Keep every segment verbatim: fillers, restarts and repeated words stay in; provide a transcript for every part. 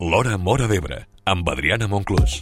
L'Hora Móra d'Ebre, amb Adriana Monclús.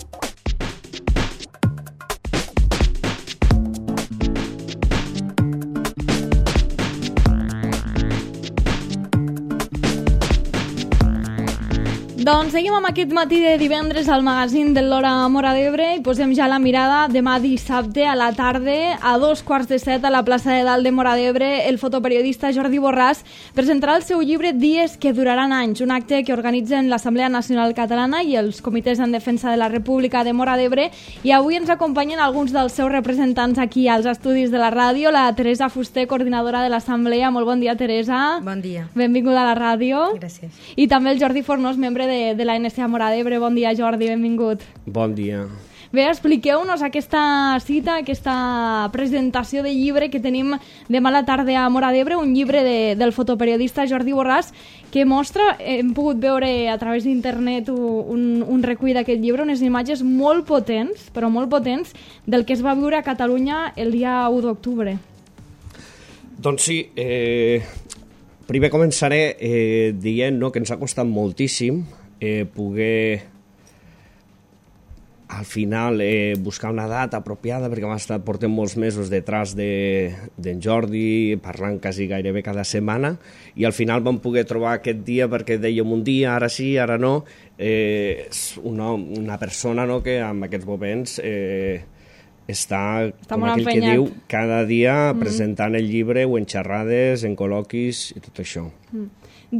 Doncs seguim amb aquest matí de divendres al magazín de l'Hora Móra d'Ebre i posem ja la mirada demà dissabte a la tarda a dos quarts de set a la plaça de Dalt de Móra d'Ebre. El fotoperiodista Jordi Borràs presentarà el seu llibre Dies que duraran anys, un acte que organitzen l'Assemblea Nacional Catalana i els comitès en defensa de la República de Móra d'Ebre, i avui ens acompanyen alguns dels seus representants aquí als estudis de la ràdio. La Teresa Fuster, coordinadora de l'Assemblea. Molt bon dia, Teresa. Bon dia. Benvinguda a la ràdio. Gràcies. I també el Jordi Fornós, membre de de la N S A Móra d'Ebre. Bon dia, Jordi, benvingut. Bon dia. Bé, expliqueu-nos aquesta cita, aquesta presentació de llibre que tenim demà a la tarda a Móra d'Ebre, un llibre de, del fotoperiodista Jordi Borràs, que mostra, hem pogut veure a través d'internet un, un recull d'aquest llibre, unes imatges molt potents, però molt potents, del que es va viure a Catalunya el dia u d'octubre. Doncs sí, eh, primer començaré eh, dient no, que ens ha costat moltíssim eh, poder al final eh, buscar una data apropiada, perquè hem estat, portem molts mesos detrás d'en de, Jordi, parlant quasi gairebé cada setmana, i al final vam poder trobar aquest dia perquè dèiem un dia, ara sí, ara no. Eh, és una, una persona no, que en aquests moments eh, està, està com aquell empenyat. Que diu, cada dia mm-hmm. presentant el llibre o en xerrades, en col·loquis i tot això. Mm.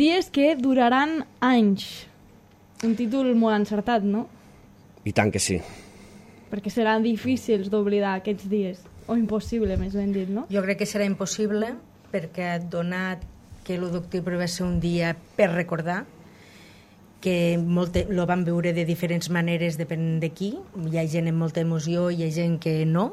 Dies que duraran anys. Un títol molt encertat, no? I tant que sí. Perquè seran difícils d'oblidar aquests dies, o impossible, més ben dit, no? Jo crec que serà impossible, perquè donat que l'u d'octubre va ser un dia per recordar, que molt, lo van veure de diferents maneres, depèn de qui. Hi ha gent amb molta emoció, hi ha gent que no,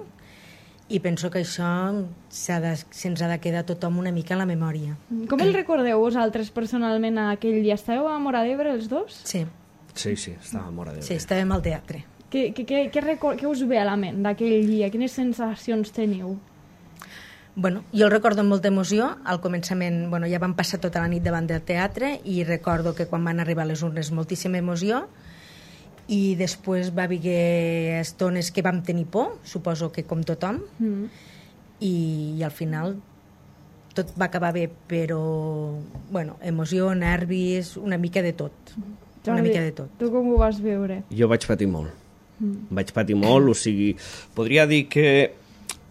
i penso que això de, se'ns ha de quedar tothom una mica a la memòria. Com el recordeu vosaltres personalment aquell dia? Estàveu a Móra d'Ebre els dos? Sí. Sí, sí, estava a Móra d'Ebre. Sí, estàvem al teatre. Què, què, què, què, record, què us ve a la ment d'aquell dia? Quines sensacions teniu? Bueno, jo el recordo amb molta emoció. Al començament, bueno, ja vam passar tota la nit davant del teatre i recordo que quan van arribar les urnes moltíssima emoció, i després va haver estones que vam tenir por, suposo que com tothom, mm. i, i al final tot va acabar bé, però bueno, emoció, nervis, una mica de tot. Una mica de tot. Tu com ho vas veure? Jo vaig patir molt. Mm. Vaig patir molt, o sigui, podria dir que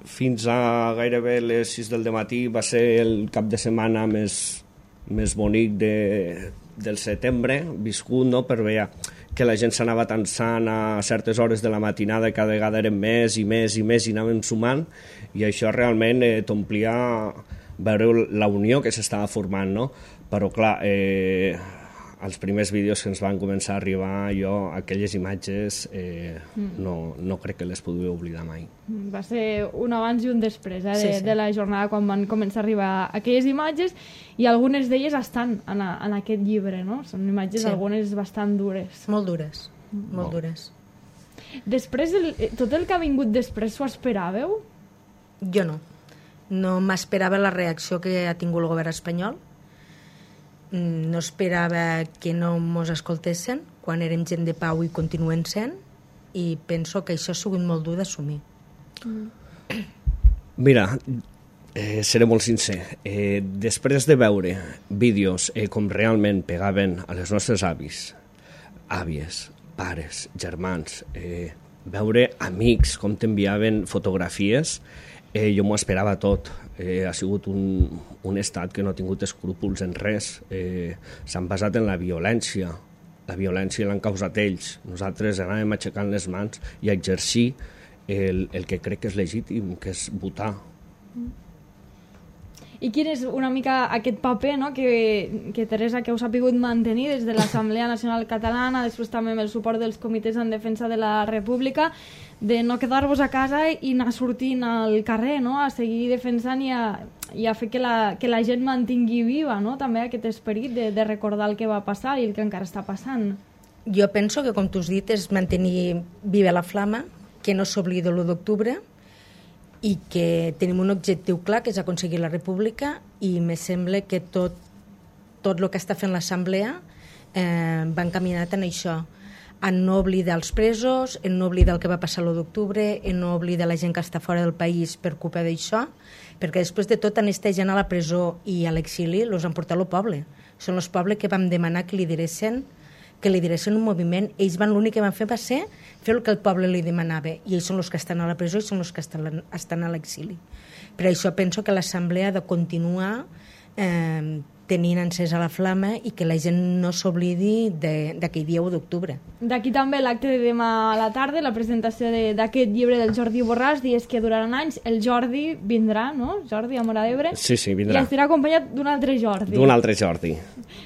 fins a gairebé les sis del matí va ser el cap de setmana més, més bonic de, del setembre, viscut, no?, per veure que la gent s'anava tensant a certes hores de la matinada, cada vegada eren més i més i més i anaven sumant, i això realment eh, t'omplia veure la unió que s'estava formant, no? Però clar, eh, els primers vídeos que ens van començar a arribar, jo aquelles imatges eh, mm. no, no crec que les podré oblidar mai. Va ser un abans i un després eh, de, sí, sí. de la jornada quan van començar a arribar aquelles imatges, i algunes d'elles estan en, a, en aquest llibre, no? Són imatges, sí. algunes bastant dures. Molt dures, mm. molt Bon. dures. Després, el, tot el que ha vingut després, s'ho esperàveu? Jo no. No m'esperava la reacció que ha tingut el govern espanyol. No esperava que no mos escoltessin quan érem gent de pau i continuen sent, i penso que això ha sigut molt dur d'assumir. Mm. Mira, eh, seré molt sincer, eh, després de veure vídeos eh, com realment pegaven a les nostres avis, àvies, pares, germans, eh, veure amics com t'enviaven fotografies, eh, jo m'ho esperava tot. Eh, ha sigut un, un estat que no ha tingut escrúpols en res. Eh, s'han basat en la violència. La violència l'han causat ells. Nosaltres anàvem aixecant les mans i a exercir el, el que crec que és legítim, que és votar. I quin és una mica aquest paper, no?, que, que Teresa, que heu sapigut mantenir des de l'Assemblea Nacional Catalana, després també amb el suport dels comitès en defensa de la República, de no quedar-vos a casa i anar sortint al carrer, no?, a seguir defensant i a, i a fer que la, que la gent mantingui viva, no?, també aquest esperit de, de recordar el que va passar i el que encara està passant. Jo penso que, com tu has dit, és mantenir viva la flama, que no s'oblida l'u d'octubre, i que tenim un objectiu clar, que és aconseguir la república, i me sembla que tot, tot el que està fent l'Assemblea eh, va encaminat en això, en no oblidar els presos, en no oblidar el que va passar l'u d'octubre, en no oblidar la gent que està fora del país per culpa d'això, perquè després de tot, aquesta gent a la presó i a l'exili els han portat al poble. Són els pobles que vam demanar que lideressin, que lideressin un moviment. Ells van, l'únic que van fer va ser fer el que el poble li demanava, i ells són els que estan a la presó i són els que estan, estan a l'exili. Per això penso que l'assemblea ha de continuar eh, tenint encesa la flama i que la gent no s'oblidi d'aquell dia u d'octubre. D'aquí també l'acte de demà a la tarda, la presentació d'aquest llibre del Jordi Borràs, dies que duraran anys. El Jordi vindrà, no? Jordi, a Móra d'Ebre. Sí, sí, vindrà. I estarà acompanyat d'un altre Jordi. D'un altre Jordi.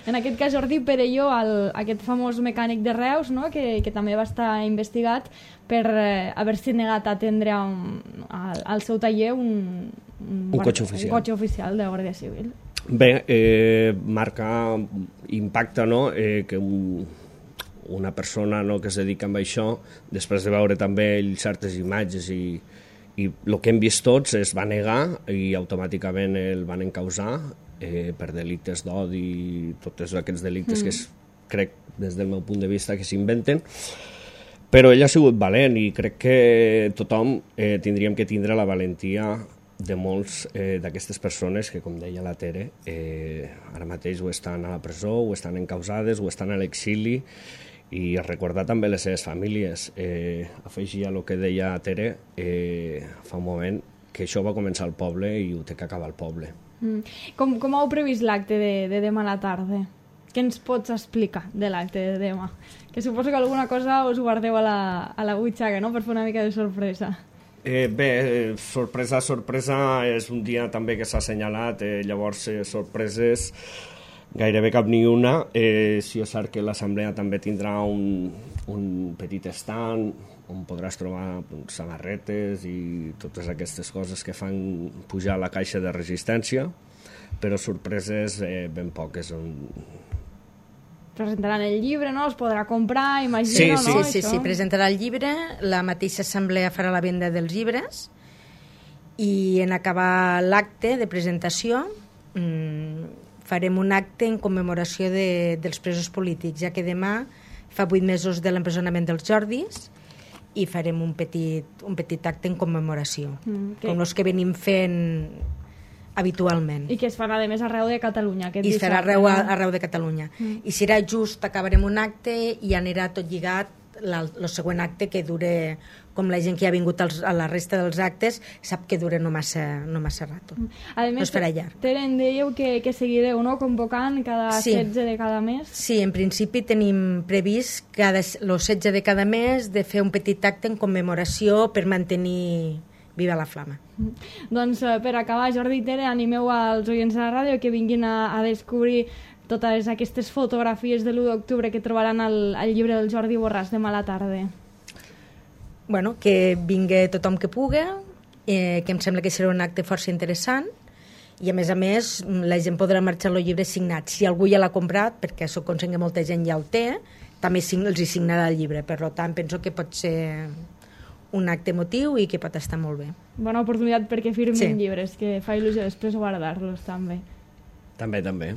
En aquest cas, Jordi Perelló, el, aquest famós mecànic de Reus, no? que, que també va estar investigat per eh, haver-se negat a atendre un, al, al seu taller un, un, un cotxe oficial. Un cotxe oficial de Guàrdia Civil. Bé, eh, marca impacte, no?, eh, que un, una persona, no?, que es dedica a això, després de veure també ell certes imatges i, i el que hem vist tots, es va negar i automàticament el van encausar eh, per delictes d'odi i tots aquests delictes mm. que es, crec, des del meu punt de vista, que s'inventen. Però ell ha sigut valent i crec que tothom eh, tindríem que tindre la valentia de molts eh, d'aquestes persones que, com deia la Tere, eh, ara mateix o estan a la presó, o estan encausades, o estan a l'exili, i recordar també les seves famílies. Eh, afegir a el que deia Tere eh, fa un moment, que això va començar al poble i ho té que acabar al poble. Mm. Com, com heu previst l'acte de, de demà a la tarda? Què ens pots explicar de l'acte de demà? Que suposo que alguna cosa us guardeu a la, a la butxaca, no?, per fer una mica de sorpresa. Eh, bé, sorpresa, sorpresa, és un dia també que s'ha assenyalat, eh, llavors eh, sorpreses gairebé cap ni una. Eh, sí, és cert que l'assemblea també tindrà un, un petit stand on podràs trobar doncs, samarretes i totes aquestes coses que fan pujar la caixa de resistència, però sorpreses eh, ben poques. On... Presentaran el llibre, no? Es podrà comprar, imagino, sí, sí, no? Sí, sí, sí, presentarà el llibre, la mateixa assemblea farà la venda dels llibres i en acabar l'acte de presentació mmm, farem un acte en commemoració de, dels presos polítics, ja que demà fa vuit mesos de l'empresonament dels Jordis i farem un petit, un petit acte en commemoració, mm, okay. com els que venim fent habitualment. I que es farà, a més, arreu de Catalunya. I es farà arreu, arreu de Catalunya. Mm. I serà just, acabarem un acte i anirà tot lligat el següent acte, que dure, com la gent que ha vingut als, a la resta dels actes, sap que dura no massa, no massa rato. A més, no es farà llarg. Tere, em dèieu que, que seguireu, no?, convocant cada sí. setze de cada mes. Sí, en principi tenim previst cada, el setze de cada mes de fer un petit acte en commemoració per mantenir viva la flama. Doncs per acabar, Jordi i Tere, animeu als oients de la ràdio que vinguin a, a descobrir totes aquestes fotografies de l'u d'octubre que trobaran al, al llibre del Jordi Borràs demà a la tarda. Bueno, que vingui tothom que pugui, eh, que em sembla que serà un acte força interessant i a més a més la gent podrà marxar el llibre signat. Si algú ja l'ha comprat, perquè soc conscient que molta gent ja el té, també els hi signarà el llibre. Per tant, penso que pot ser un acte emotiu i que pot estar molt bé. Bona oportunitat perquè firmin sí. llibres, que fa il·lusió després guardar-los també. També, també.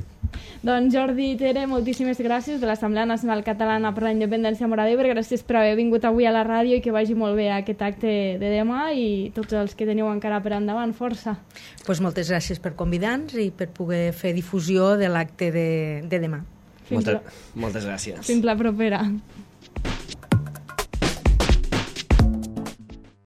Doncs Jordi i Tere, moltíssimes gràcies de l'Assemblea Nacional Catalana per la Independència a Móra d'Ebre. Gràcies per haver vingut avui a la ràdio i que vagi molt bé aquest acte de demà i tots els que teniu encara per endavant. Força. Pues moltes gràcies per convidar-nos i per poder fer difusió de l'acte de, de demà. Moltes, moltes gràcies. Fins la propera.